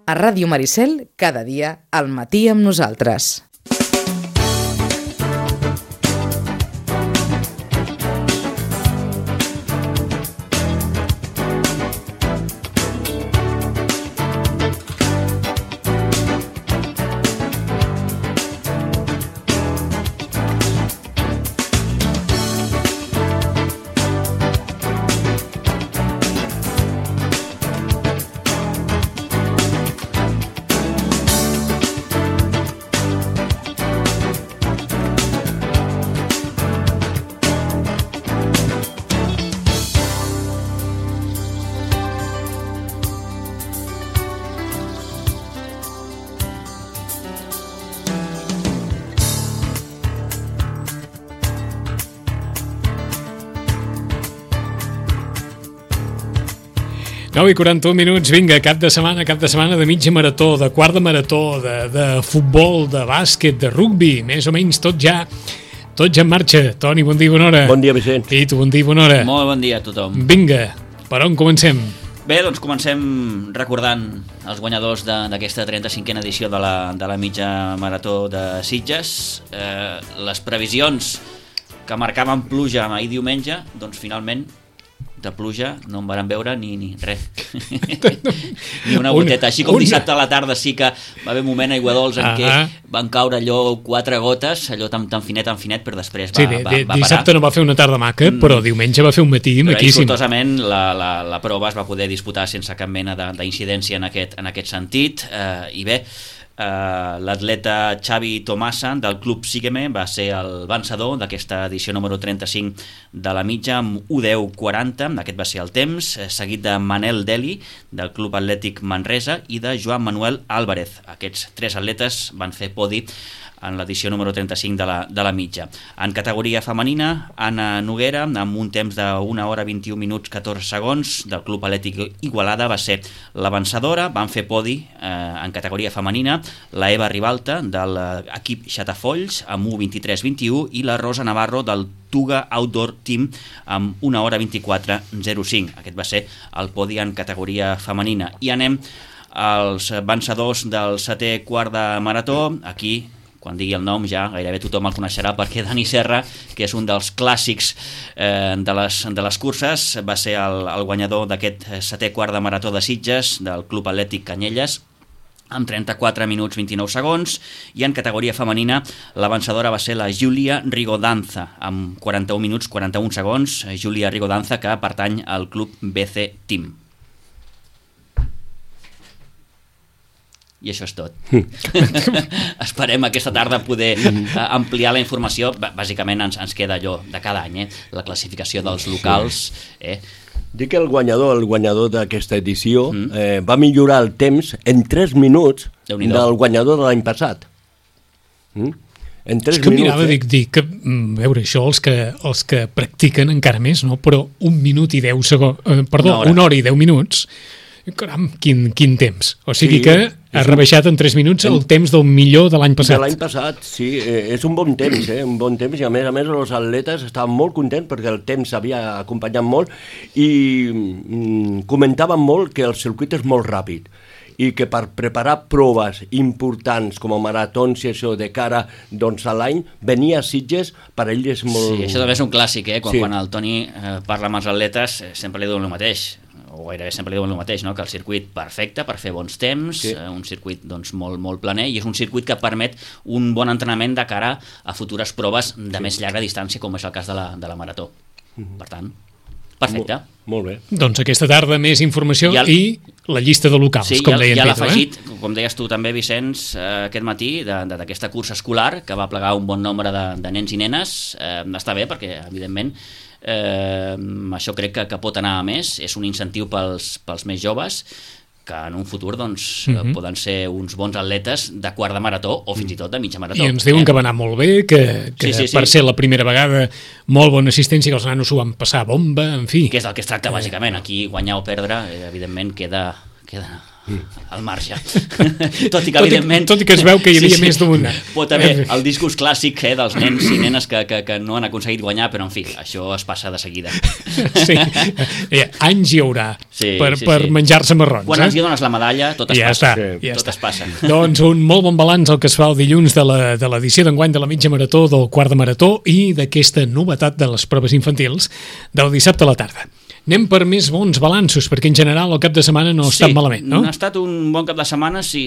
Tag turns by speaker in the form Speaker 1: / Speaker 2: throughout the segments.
Speaker 1: A Ràdio Maricel, cada dia al matí amb nosaltres.
Speaker 2: I 41 minuts, vinga, cap de setmana de mitja marató, de quart de marató, de futbol, de bàsquet, de rugbi, més o menys tot ja en marxa. Toni, bon dia i bona hora.
Speaker 3: Bon dia, Vicent.
Speaker 2: I tu, bon dia i bona hora.
Speaker 4: Molt bon dia a tothom.
Speaker 2: Vinga, per on comencem?
Speaker 4: Bé, doncs comencem recordant els guanyadors d'aquesta 35a edició de la mitja marató de Sitges. Les previsions que marcaven pluja ahir diumenge, doncs finalment de pluja no en varen veure ni res. Ni una goteta. Així com dissabte a la tarda sí que va haver un moment aigua dolç en què van caure allò 4 gotes, allò tan finet, però després va parar.
Speaker 2: Dissabte no va fer una tarda maca, però diumenge va fer un matí maquíssim.
Speaker 4: Però sortosament la prova es va poder disputar sense cap mena d'incidència en aquest sentit. I bé, l'atleta Xavi Tomasa del Club Sígueme va ser el vencedor d'aquesta edició número 35 de la mitja amb 1:10:40, aquest va ser el temps, seguit de Manel Deli del Club Atlètic Manresa i de Joan Manuel Álvarez. Aquests 3 atletes van fer podi en l'edició número 35 de la mitja. En categoria femenina, Anna Noguera, amb un temps de 1 hora 21 minuts 14 segons del Club Atlètic Igualada, va ser la vencedora. Van fer podi en categoria femenina la Eva Ribalta de l'equip Xatafolls amb 1:23:21 i la Rosa Navarro del Tuga Outdoor Team amb 1 hora 24:05. Aquest va ser el podi en categoria femenina. I anem als vencedors del 7è quart de marató. Aquí, quan digui el nom ja gairebé tothom el coneixerà, perquè Dani Serra, que és un dels clàssics de les curses, va ser el guanyador d'aquest 7è quart de marató de Sitges del Club Atlètic Canyelles amb 34 minuts 29 segons, i en categoria femenina la vencedora va ser la Júlia Rigodanza amb 41 minuts 41 segons. Júlia Rigodanza, que pertany al Club BC Team. I això és tot. Esperem aquesta tarda poder ampliar la informació. Bàsicament ens queda allò de cada any, la classificació dels locals.
Speaker 3: Dic que el guanyador d'aquesta edició va millorar el temps en 3 minuts del guanyador de l'any passat. En 3
Speaker 2: que
Speaker 3: minuts.
Speaker 2: Mirava, dic que, veure, això els que practiquen encara més, no? Però 1 minut i 10 segons, perdó, 1 hora i 10 minuts, caram, quin temps. O sigui que ha rebaixat en 3 minuts el temps del millor de l'any passat.
Speaker 3: De l'any passat, sí, és un bon temps, un bon temps, i a més els atletes estaven molt contents perquè el temps havia acompanyat molt i comentaven molt que el circuit és molt ràpid i que per preparar proves importants com a maratons i això de cara doncs, a l'any, venir a Sitges per ell és molt...
Speaker 4: Sí, això també és un clàssic, quan el Toni parla amb els atletes sempre li diuen el mateix, o gairebé sempre diuen el mateix, no? Que el circuit perfecte per fer bons temps, un circuit doncs, molt planer, i és un circuit que permet un bon entrenament de cara a futures proves de més llarga distància, com és el cas de la marató. Per tant, perfecte.
Speaker 3: Molt bé.
Speaker 2: Doncs aquesta tarda més informació i la llista de locals, com deia en Pedro.
Speaker 4: Ja l'ha afegit, com deies tu també, Vicenç, aquest matí, d'aquesta cursa escolar, que va plegar un bon nombre de nens i nenes. Està bé, perquè, evidentment, això crec que pot anar a més. És un incentiu pels més joves, que en un futur doncs, poden ser uns bons atletes de quart de marató o fins i tot de mitja marató.
Speaker 2: I ens diuen que va anar molt bé, que per ser la primera vegada molt bona assistència, que els nanos ho van passar bomba, en fi.
Speaker 4: Que és del que es tracta, bàsicament. Aquí guanyar o perdre, evidentment, queda al marge. Tot i que, evidentment...
Speaker 2: Tot i que es veu que hi havia més d'una.
Speaker 4: Pot haver el discurs clàssic dels nens i nenes que no han aconseguit guanyar, però en fi, això es passa de seguida.
Speaker 2: Sí, anys hi haurà per menjar-se marrons.
Speaker 4: Quan els dones la medalla, tot es passa. Tot es passa.
Speaker 2: Doncs un molt bon balanç el que es fa el dilluns de l'edició d'enguany de la mitja marató, del quart de marató i d'aquesta novetat de les proves infantils del dissabte a la tarda. Anem per més bons balanços, perquè en general el cap de setmana no ha estat malament, no?
Speaker 4: Ha estat un bon cap de setmana si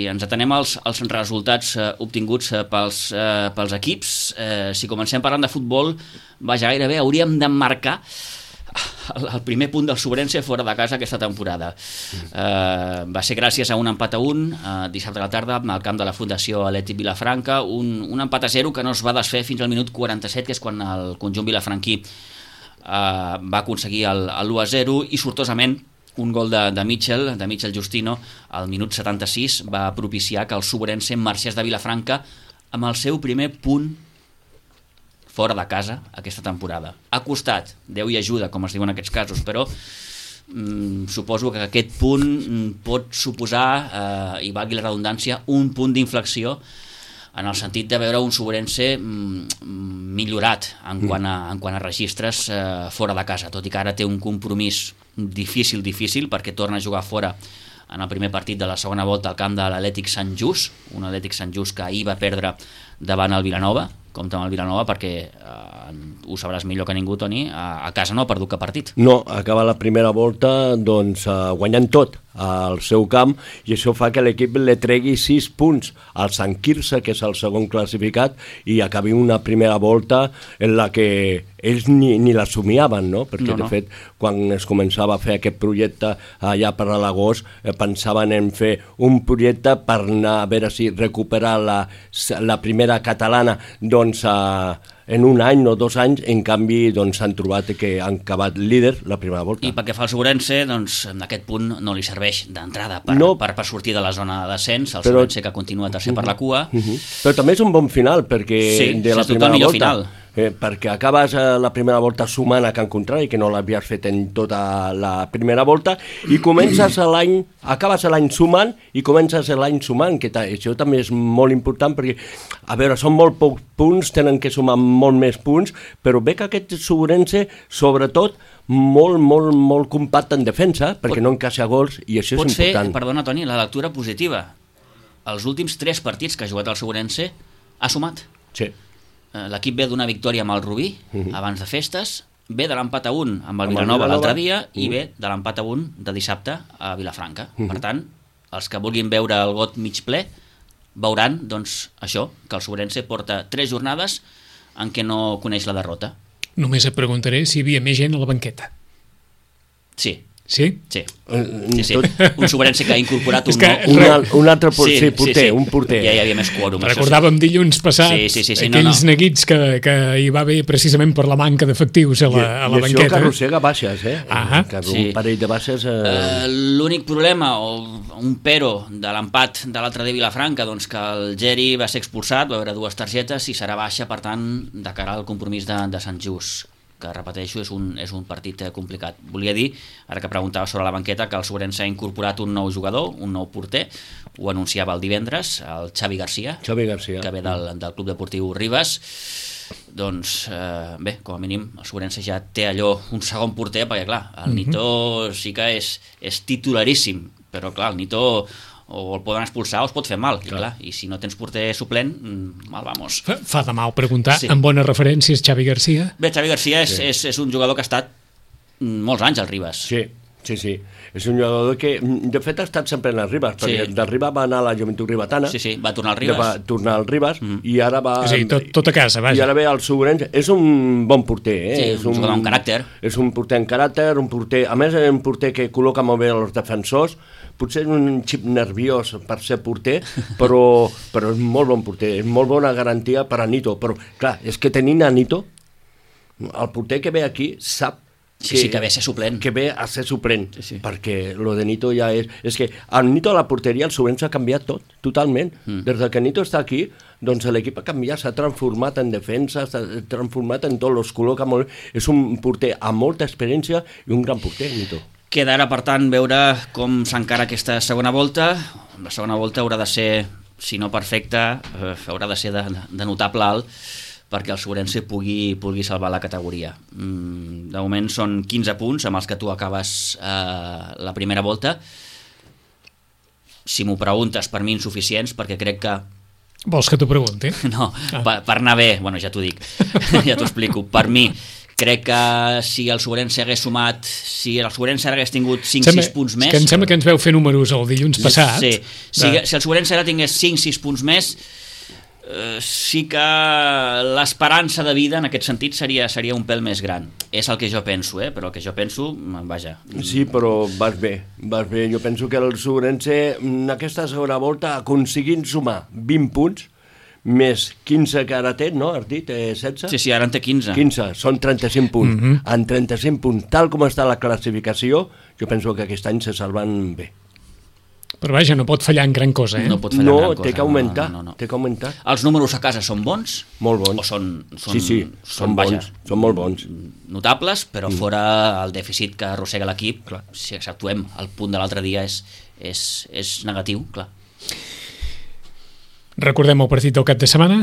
Speaker 4: ens atenem als resultats obtinguts pels equips. Si comencem parlant de futbol, gairebé hauríem d'emmarcar el primer punt del Sobrense fora de casa aquesta temporada. Va ser gràcies a un empat a 1 dissabte a la tarda al camp de la Fundació Atlètic Vilafranca, un empat a 0 que no es va desfer fins al minut 47, que és quan el conjunt vilafranquí va aconseguir l'1-0 i sortosament un gol de Michel Justino al minut 76 va propiciar que el Sobrense marxés de Vilafranca amb el seu primer punt fora de casa aquesta temporada. Ha costat, Déu i ajuda, com es diu en aquests casos, però suposo que aquest punt pot suposar, i valgui la redundància, un punt d'inflexió en el sentit de veure un Sobrense millorat en quant a registres fora de casa, tot i que ara té un compromís difícil, perquè torna a jugar fora en el primer partit de la segona volta al camp de l'Atlètic Sant Just, un Atlètic Sant Just que ahir va perdre davant el Vilanova. Compte amb el Vilanova perquè ho sabràs millor que ningú, Toni, a casa no ha perdut cap partit.
Speaker 3: No, acaba la primera volta guanyant tot al seu camp i això fa que l'equip le tregui 6 punts al Sant Quirze, que és el segon classificat, i acabi una primera volta en la que ells ni la somiaven, no? Perquè de fet, quan es començava a fer aquest projecte allà per a l'agost, pensaven en fer un projecte per anar a veure si recuperar la primera catalana en un any o 2 anys. En canvi s'han trobat que han acabat líder la primera volta.
Speaker 4: I pel que fa al Sobrense, aquest punt no li serveix d'entrada per sortir de la zona de descens, el Sobrense que continua tercer per la cua.
Speaker 3: Però també és un bon final perquè de la primera volta final. Perquè acabes la primera volta sumant a Can Contrari, que no l'havies fet en tota la primera volta, i acabes l'any sumant i comences l'any sumant, que això també és molt important perquè, a veure, són molt pocs punts, tenen que sumar molt més punts, però ve que aquest Sobrense, sobretot, molt compacte en defensa, perquè no encaixa gols, i això és important.
Speaker 4: Pot fer, perdona Toni, la lectura positiva. Els últims 3 partits que ha jugat el Sobrense ha sumat.
Speaker 3: Sí.
Speaker 4: L'equip ve d'una victòria amb el Rubí abans de festes, ve de l'empat a 1 amb el Vilanova l'altre dia i ve de l'empat a 1 de dissabte a Vilafranca. Per tant, els que vulguin veure el got mig ple veuran, això, que el Sobrense porta 3 jornades en què no coneix la derrota.
Speaker 2: Només et preguntaré si hi havia més gent a la banqueta.
Speaker 4: Sí.
Speaker 2: Sí?
Speaker 4: Sí. Un Sobrense que ha incorporat
Speaker 3: un altre porter, un porter.
Speaker 4: Ja hi havia més quòrum.
Speaker 2: Recordàvem dilluns passat aquells neguits que hi va haver precisament per la manca d'efectius a la banqueta.
Speaker 3: I això que arrossega baixes, un parell de baixes...
Speaker 4: L'únic problema, o un pero de l'empat de l'altre de Vilafranca, que el Geri va ser expulsat, va haver 2 targetes i serà baixa, per tant, de cara al compromís de Sant Just, que repeteixo, és un partit complicat. Volia dir, ara que preguntava sobre la banqueta, que el Sobrense ha incorporat un nou jugador, un nou porter, ho anunciava el divendres, el Xavi Garcia, que ve del Club Deportiu Ribes. Bé, com a mínim el Sobrense ja té allò, un segon porter, perquè clar, el Nito sí que és titularíssim, però clar, el Nito o el poden expulsar o es pot fer mal, i si no tens porter suplent, mal vamos.
Speaker 2: Fa de mal preguntar, amb bones referències, Xavi Garcia?
Speaker 4: Bé, Xavi Garcia és un jugador que ha estat molts anys al Ribes.
Speaker 3: Sí. És un jugador que, de fet, ha estat sempre en el Ribes, perquè del Ribes va anar a la Joventut Ribetana.
Speaker 4: Va tornar al Ribes.
Speaker 3: I ara va...
Speaker 2: És a dir, tot a casa, vaja.
Speaker 3: I ara ve el Sobrense. És un bon porter,
Speaker 4: és un jugador amb caràcter.
Speaker 3: És un porter amb caràcter, a més és un porter que col·loca molt bé els defensors, potser és un xip nerviós per ser porter, però és molt bon porter, és molt bona garantia per a Nito. Però, clar, és que tenint a Nito, el porter que ve aquí sap
Speaker 4: que ve a ser suplent.
Speaker 3: Que ve a ser suplent, perquè lo de Nito ja és... És que el Nito a la porteria, el Sobrense ha canviat tot, totalment. Des que Nito està aquí, l'equip ha canviat, s'ha transformat en defensa, s'ha transformat en tot, els col·loca molt... És un porter amb molta experiència i un gran porter, Nito.
Speaker 4: Queda ara, per tant, veure com s'encara aquesta segona volta. La segona volta haurà de ser, si no perfecta, haurà de ser de notable alt, perquè el Sobrense pugui salvar la categoria. De moment són 15 punts amb els que tu acabes la primera volta. Si m'ho preguntes, per mi insuficients, perquè crec que...
Speaker 2: Vols que t'ho pregunti?
Speaker 4: No, per anar bé, bueno, ja t'ho dic, ja t'ho explico. Per mi, crec que si el Sobrense hagués sumat, si el Sobrense hagués tingut 5-6 punts més...
Speaker 2: Que em sembla que ens veu fer números el dilluns passat.
Speaker 4: Sí, si el Sobrense ara tingués 5-6 punts més, sí que l'esperança de vida en aquest sentit seria un pèl més gran. És el que jo penso, però el que jo penso, vaja.
Speaker 3: Sí, però vas bé. Jo penso que el Sobrense en aquesta segona volta aconseguint sumar 20 punts més 15 que ara té, no? Has dit 16?
Speaker 4: Sí, ara en té 15.
Speaker 3: 15, són 35 punts. En 35 punts, tal com està la classificació, jo penso que aquest any se salven bé.
Speaker 2: Però vaja, no pot fallar en gran cosa,
Speaker 4: No pot fallar en gran cosa.
Speaker 3: Té que augmentar, té que augmentar.
Speaker 4: Els números a casa són bons?
Speaker 3: Molt bons.
Speaker 4: O són
Speaker 3: sí, són bons, són molt bons.
Speaker 4: Notables, però fora el dèficit que arrossega l'equip, si exceptuem el punt de l'altre dia és negatiu, clar.
Speaker 2: Recordem el partit del cap de setmana.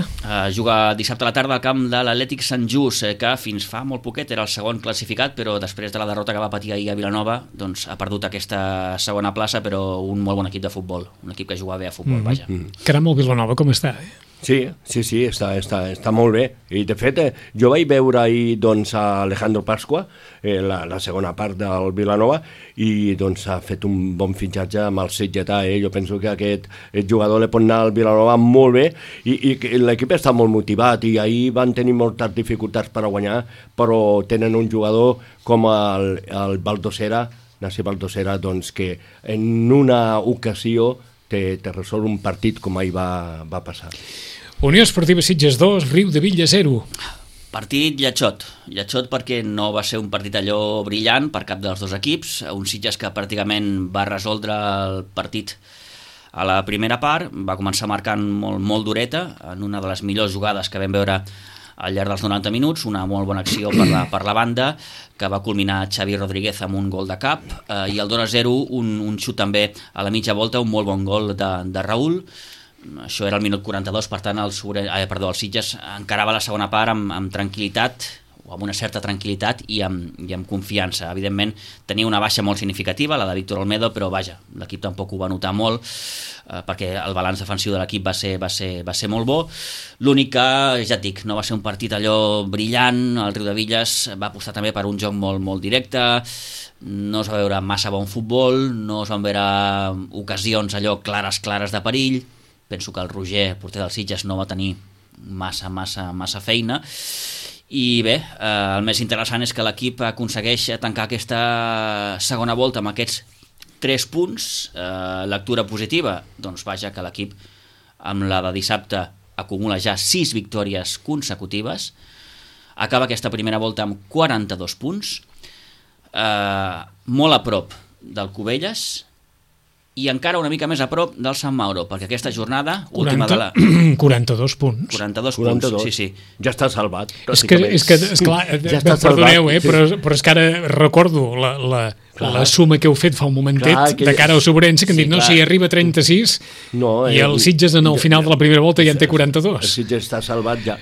Speaker 4: Juga dissabte a la tarda al camp de l'Atlètic Sant Just, que fins fa molt poquet era el segon classificat, però després de la derrota que va patir ahir a Vilanova, doncs ha perdut aquesta segona plaça, però un molt bon equip de futbol, un equip que juga bé a futbol, vaja.
Speaker 2: Caram, el Vilanova com està?
Speaker 3: Sí, està molt bé. I de fet, jo vaig veure ahir doncs, a Alejandro Pasqua, la segona part del Vilanova, i doncs ha fet un bon fitxatge amb el Sitgetà. Jo penso que aquest jugador li pot anar al Vilanova molt bé, i l'equip està molt motivat, i ahir van tenir moltes dificultats per a guanyar, però tenen un jugador com el Baldosera, Nassi Baldosera, doncs, que en una ocasió te resol un partit com ahir va passar.
Speaker 2: Unió Esportiva Sitges 2, Riu de Villa 0.
Speaker 4: Partit lletjot perquè no va ser un partit allò brillant per cap dels dos equips, un Sitges que pràcticament va resoldre el partit a la primera part, va començar marcant molt dureta en una de les millors jugades que vam veure al llarg dels 90 minuts, una molt bona acció per la banda, que va culminar Xavi Rodríguez amb un gol de cap, i el 2-0, un xut també a la mitja volta, un molt bon gol de Raül. Això era el minut 42, per tant el Sitges encarava la segona part amb tranquil·litat, o amb una certa tranquil·litat i amb confiança. Evidentment tenia una baixa molt significativa, la de Víctor Olmedo, però vaja, l'equip tampoc ho va notar molt, perquè el balanç defensiu de l'equip va ser molt bo. L'únic que, ja et dic, no va ser un partit allò brillant. El Riu de Villes va apostar també per un joc molt directe, no es va veure massa bon futbol, no es van veure ocasions allò clares de perill. Penso que el Roger, porter del Sitges, no va tenir massa feina. I bé, el més interessant és que l'equip aconsegueix tancar aquesta segona volta amb aquests 3 punts. Lectura positiva, doncs vaja, que l'equip amb la de dissabte acumula ja 6 victòries consecutives, acaba aquesta primera volta amb 42 punts, molt a prop del Cubelles i encara una mica més a prop del Sant Mauro, perquè aquesta jornada...
Speaker 2: 42 punts.
Speaker 4: 42 punts, sí.
Speaker 3: Ja està salvat.
Speaker 2: És que esclar, ja perdoneu, però és que ara recordo la suma que heu fet fa un momentet de cara al Sobrense, que han dit, no, si arriba a 36, i el Sitges en el final de la primera volta ja en té 42.
Speaker 3: El Sitges està salvat ja.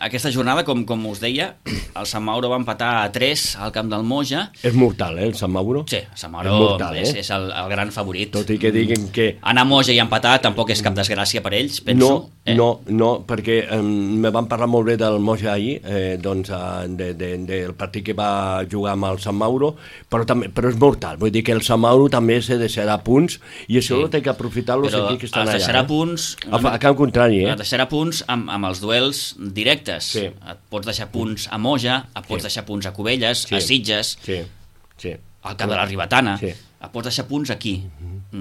Speaker 4: Aquesta jornada, com us deia, el Sant Mauro va empatar a 3 al camp del Moja.
Speaker 3: És mortal, el Sant Mauro?
Speaker 4: Sí, el Sant Mauro és el gran favorit.
Speaker 3: Tot i que diguin que...
Speaker 4: Anar a Moja i empatar tampoc és cap desgràcia per ells, penso.
Speaker 3: No, perquè me van parlar molt bé del Moja ahir, del partit que va jugar amb el Sant Mauro, però és mortal, vull dir que el Sant Mauro també se deixarà punts, i això ho té que aprofitar els equips que estan allà.
Speaker 4: Però es deixarà punts...
Speaker 3: A camp contrari,
Speaker 4: es deixarà punts amb els duels directes. Et pots deixar punts a Moja, et pots deixar punts a Cubelles, a Sitges, al camp de la Ribetana, et pots deixar punts aquí.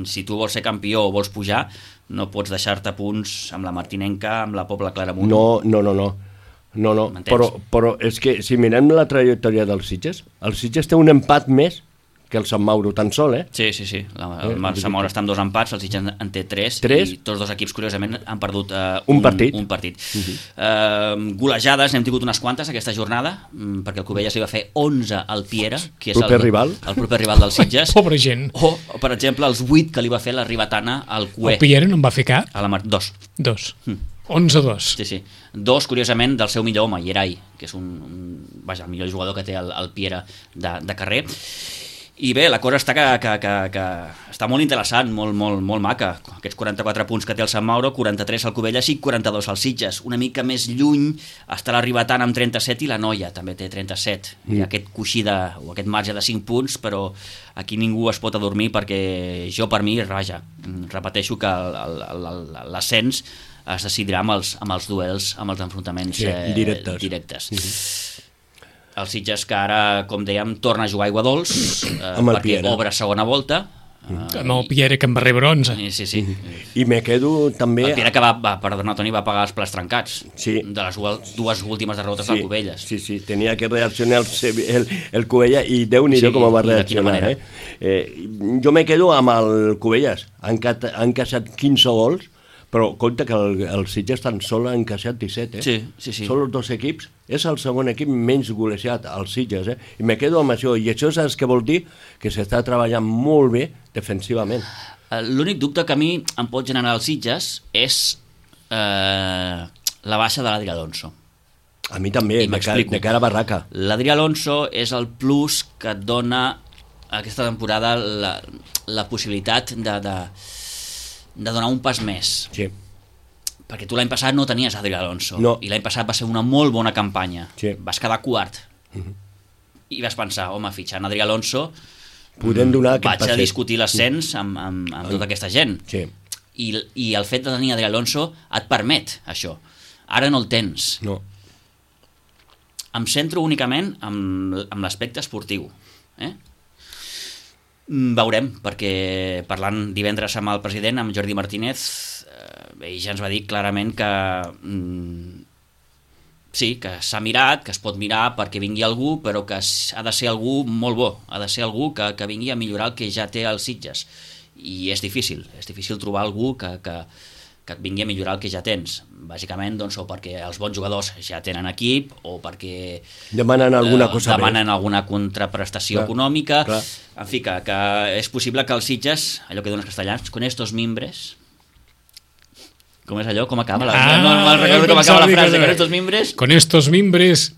Speaker 4: Si tu vols ser campió o vols pujar, no pots deixar-te punts amb la Martinenca, amb la Pobla Claramunt. No, però és que si mirem la trajectòria dels Sitges, el Sitges té un empat més
Speaker 3: que el Sant Mauro tan sol,
Speaker 4: Sí. El Sant Mauro està amb 2 empats, el Sitges en té 3, i tots 2 equips, curiosament, han perdut un partit. Golejades, n'hem tingut unes quantes aquesta jornada, perquè el Cubelles li va fer 11 al Piera, que és el proper rival del Sitges.
Speaker 2: Pobra gent.
Speaker 4: O, per exemple, els 8 que li va fer la Ribetana al Cué.
Speaker 2: El Piera no en va fer cap?
Speaker 4: 2.
Speaker 2: 11-2.
Speaker 4: Sí. 2, curiosament, del seu millor home, Yeray, que és el millor jugador que té el Piera de carrer. I bé, la cosa està que està molt interessant, molt maca. Aquests 44 punts que té el Sant Mauro, 43 al Cubelles i 42 al Sitges. Una mica més lluny està la Ribetana amb 37 i la Noia també té 37. Hi ha aquest coixí o aquest marge de 5 punts, però aquí ningú es pot adormir perquè per mi, repeteixo que l'ascens es decidirà amb els duels, amb els enfrontaments directes. El Sitges, que ara, com dèiem, torna a jugar a Aiguadols perquè obre segona volta.
Speaker 2: Amb el Piera, que en va rebre 11.
Speaker 4: Sí.
Speaker 3: I me quedo també...
Speaker 4: El Piera que va pagar els plats trencats de les 2 últimes derrotes del Cubelles.
Speaker 3: Sí, tenia que reaccionar el Cubelles i Déu-n'hi-do com va reaccionar. Jo me quedo amb el Cubelles. Han encaixat 15 gols, però compte que el Sitges tan sol ha encaixat 17,
Speaker 4: Sí.
Speaker 3: Són els 2 equips, és el segon equip menys golejat, el Sitges, I me quedo amb això, i això saps què vol dir? Que s'està treballant molt bé defensivament.
Speaker 4: L'únic dubte que a mi em pot generar el Sitges és la baixa de l'Adri Alonso.
Speaker 3: A mi també, de cara a barraca.
Speaker 4: L'Adri Alonso és el plus que et dona aquesta temporada la possibilitat de donar un pas més.
Speaker 3: Sí.
Speaker 4: Perquè tu l'any passat no tenies Adri Alonso, i l'any passat va ser una molt bona campanya.
Speaker 3: Sí.
Speaker 4: Vas quedar quart. I vas pensar, home, fitxant Adri Alonso vaig a discutir l'ascens amb tota aquesta gent.
Speaker 3: Sí.
Speaker 4: I el fet de tenir Adri Alonso et permet això. Ara no el tens.
Speaker 3: No.
Speaker 4: Em centro únicament amb l'aspecte esportiu. Veurem, perquè parlant divendres amb el president, amb Jordi Martínez, ell ja ens va dir clarament que sí, que s'ha mirat, que es pot mirar perquè vingui algú, però que ha de ser algú molt bo, ha de ser algú que vingui a millorar el que ja té els Sitges. I és difícil trobar algú que et vingui a millorar el que ja tens. Bàsicament, doncs, o perquè els bons jugadors ja tenen equip, o perquè
Speaker 3: demanen alguna cosa
Speaker 4: alguna contraprestació econòmica.
Speaker 3: Clar.
Speaker 4: En fi, que és possible que els Sitges, allò que diuen els castellans, con estos mimbres... Com és allò? Com acaba? No recordo com acaba la frase. Con estos mimbres...
Speaker 2: Con estos mimbres...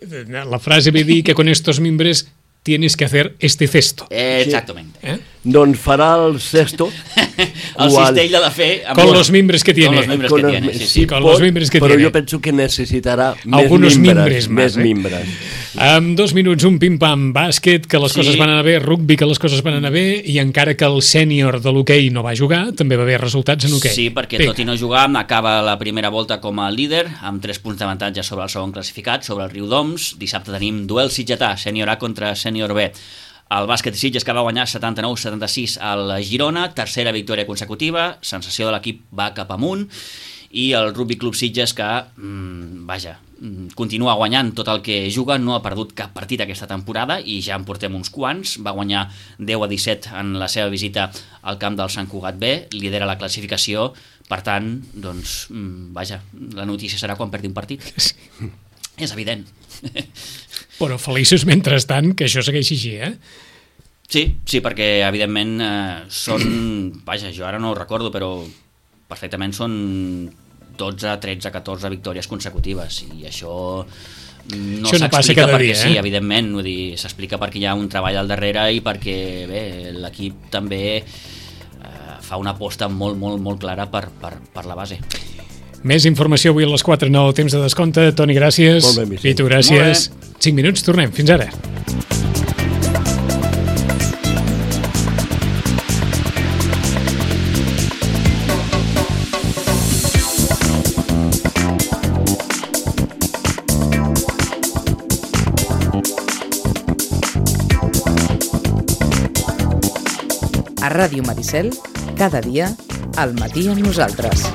Speaker 2: La frase ve dir que con estos mimbres tienes que hacer este cesto.
Speaker 4: Exactamente.
Speaker 3: Doncs farà el cesto...
Speaker 4: El cistell ha de fer...
Speaker 2: Con los mimbres que tiene.
Speaker 4: Sí,
Speaker 2: con los mimbres que
Speaker 3: però
Speaker 2: tiene.
Speaker 3: jo penso que necessitarà
Speaker 2: algunos
Speaker 3: mimbres
Speaker 2: més. Amb 2 minuts, un pim-pam, bàsquet, que les coses van anar bé, rugby, que les coses van anar bé, i encara que el sènior de l'hoquei no va jugar, també va haver resultats en hoquei.
Speaker 4: Sí, perquè tot i no jugar, acaba la primera volta com a líder, amb 3 punts d'avantatge sobre el segon classificat, sobre el Riudoms. Dissabte tenim duel sitgetà, sènior A contra sènior B. El bàsquet Sitges, que va guanyar 79-76 al Girona, tercera victòria consecutiva, sensació de l'equip va cap amunt, i el Rugby Club Sitges, que continua guanyant tot el que juga, no ha perdut cap partit aquesta temporada i ja en portem uns quants. Va guanyar 10-17 en la seva visita al camp del Sant Cugat B, lidera la classificació. Per tant, doncs, la notícia serà quan perdi un partit. És evident.
Speaker 2: Però feliços mentrestant que això segueixi així,
Speaker 4: Sí, perquè evidentment són, jo ara no ho recordo, però perfectament són 12, 13, 14 victòries consecutives, i això no s'explica perquè sí, evidentment, s'explica perquè hi ha un treball al darrere i perquè l'equip també fa una aposta molt, molt, molt clara per la base.
Speaker 2: Més informació avui a les 4, no temps de descompte. Toni, gràcies.
Speaker 3: Molt bé,
Speaker 2: Pitu, gràcies. 5 minuts, tornem. Fins ara.
Speaker 1: A Ràdio Maricel, cada dia, al matí amb nosaltres.